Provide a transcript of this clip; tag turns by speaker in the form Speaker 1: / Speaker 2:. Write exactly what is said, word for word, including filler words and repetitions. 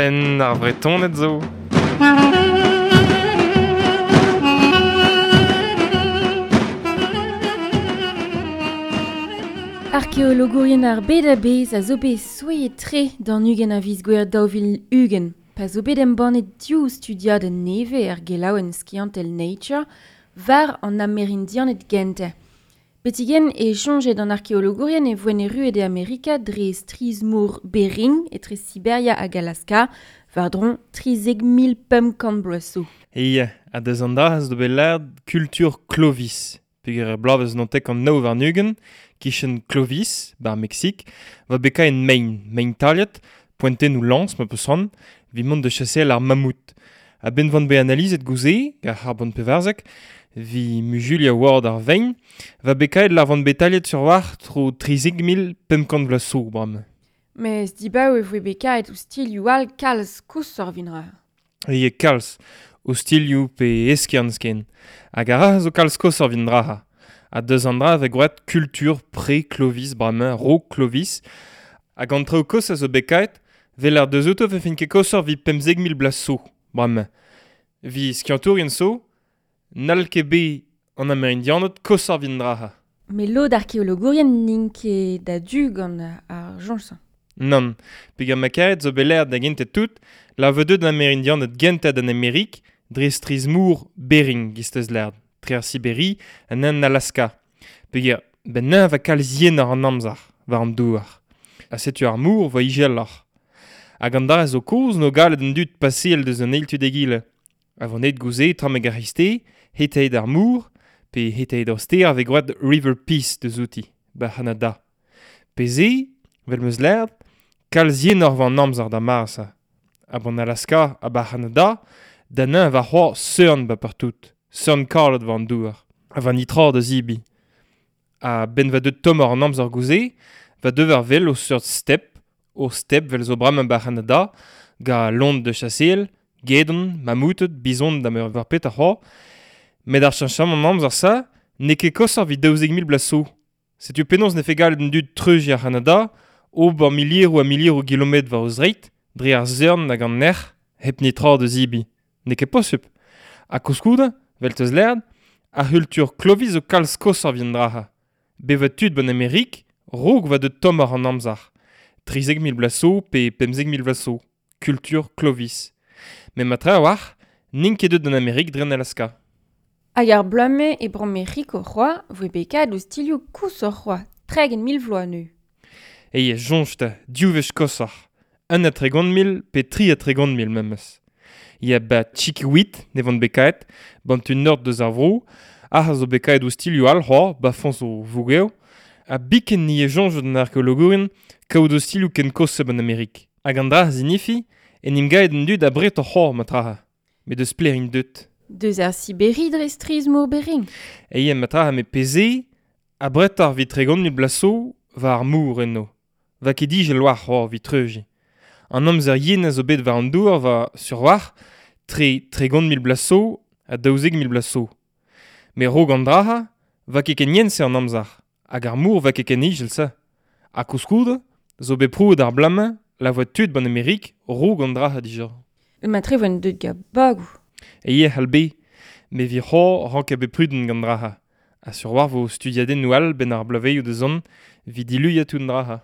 Speaker 1: Penn ar Vretoned zo.
Speaker 2: Arkeologourien ar bed a-bezh a zo bet souezhet-tre d'an ugent a viz Gouere daou vil ugent, pa zo bet embannet div studiadenn nevez er gelaouenn skiantel Nature war an Amerindianed gentañ. Betek-henn e soñjet an arkeologourien e voent erruet e Amerika dre strizh-mor Bering etre Siberia hag Alaska, war-dro trizek mil pemp kant bloaz zo.
Speaker 1: Eo, ha deus an dra zo bet lâret kultur Clovis. Peogwir er bloavezh naontek an nav warn-ugent, kichen Clovis, bar Meksik, va bekañ en mein, mein taliet, poentennoù lañs ma peus c'hoant, evit mont da chaseal ar mamout. A-benn vont bet analizet gouze, gant ar c'harbon pevarzek, vi muzuliañ war ar vein, va bekaet lar vont bet taliet sur war tro trizek mil pemp kant vloaz zo, bremañ.
Speaker 2: Mes dibaoe e voe bekaet ostilhoù all kalz koshoc'h evit ra.
Speaker 1: Eo kalz, ostilhoù pe eskern ken. Hag a ra zo kalz koshoc'h evit ra. Ha deus an dra vez gwraet kultur pre-Clovis bremañ, raok Clovis. Hag an traoù kozh a zo bekaet, vel ar deus outo vefen ket koshoc'h evit pemzek mil bloaz zo, bremañ. Vi skiantourien zo, n'hall ket bet an Amerindianed koshoc'h evit dra.
Speaker 2: Met lod arkeologourien n'int ket a-du gant ar soñj-se.
Speaker 1: Nann, peogwir ma karet zo bet lâret da gentañ tout, la vo deuet an Amerindianed gentañ d'an Amerik dre strizh-mor Bering, giz teus lâret, tre ar Siberi ha an Alaska. Peogwir ben neñv a kalz yenoc'h an amzer, war an douar. Ha setu ar mor vo izeloc'h. Hag an dra zo kozh n'o galet an dud paseal deus an eil tu d'egile. A vo net gouze trameg ar c'hreisteiz, hetaet ar mor, pe hetaet ar stêr a vez gwraet River Peace deus outi, ba C'hanada. Pe se, vel meus lâret, kalz yenoc'h vo an amzer da mare-se. Ha ban Alaska ha ba C'hanada, da neñv war c'hoazh seurn ba partout, seurn kalet war an douar, ha war nitra da zebriñ. Ha benn va deut tommoc'h an amzer gouze, va deuet ar vel o seurt step, o step vel zo bremañ ba C'hanada, ga lont de chaseal, gedon, mamouted, bizon da meur war pet ar c'hoazh. Met ar cheñchamant an amzer sa, n'eo ket koshoc'h evit daouzek mil bloaz zo. Setu penaos ne fe galet an dud treuziñ ar C'hanada, ober milieroù ha milieroù kilometr war o zreid, dre ar seurn hag an erc'h, hep netra da zebriñ. N'eo ket posupl. Ha koulskoude, vel teus lâret, ar c'hultur Clovis zo kalz koshoc'h evit an dra-se. Bevañ tud ban Amerik, raok va deut tommoc'h an amzer. Trizek mil bloaz zo pe pemzek mil bloaz zo. Kultur Clovis. Met ma tra a-walc'h, n'int ket deut d'an Amerik dre an Alaska.
Speaker 2: Hag ar bloaz-mañ e Bro-Mec'hiko c'hoazh voe bekaet ostilhoù koshoc'h c'hoazh, tregont mil vloaz neuze.
Speaker 1: Eo, soñj 'ta, div wech koshoc'h. Un ha tregont mil pe tri ha tregont mil memes. Ya ba Chiquihuite ne vont bekaet, ban tu nord deus ar vro, ac'h a zo bekaet ostilhoù all c'hoazh, ba foñs o vougev, ha biken ni e soñj d'an arkeologourien kaout ostilhoù ken kozh ban Amerik. Hag an dra a zinifi, en em gaet an dud abretoc'h c'hoazh ma tra. Met deus pelec'h int deut.
Speaker 2: Deus ar Siberi dre strizh-mor Bering.
Speaker 1: Eo, ma tra me peze, abretoc'h evit tregont mil bloaz zo war ar mor eno. Va ket ijel war c'hoazh evit treuziñ. An amzer yen a zo bet war an douar war sur war, tre tregont mil bloaz zo ha daouzek mil bloaz zo. Met raok an dra-se, va ket ken yen-se an amzer, hag ar mor va ket ken ijel-se. Ha koulskoude, zo bet prouet ar bloaz-mañ la voa tud ban Amerik raok an dra-se dija.
Speaker 2: Ma tre voent deut gant bagoù.
Speaker 1: Eo c'hall bet, met evit c'hoazh rank bet prudent gant dra-se. Ha sur war vo studiadennoù all benn ar bloavezhioù da zont evit diluiañ tout an dra-se.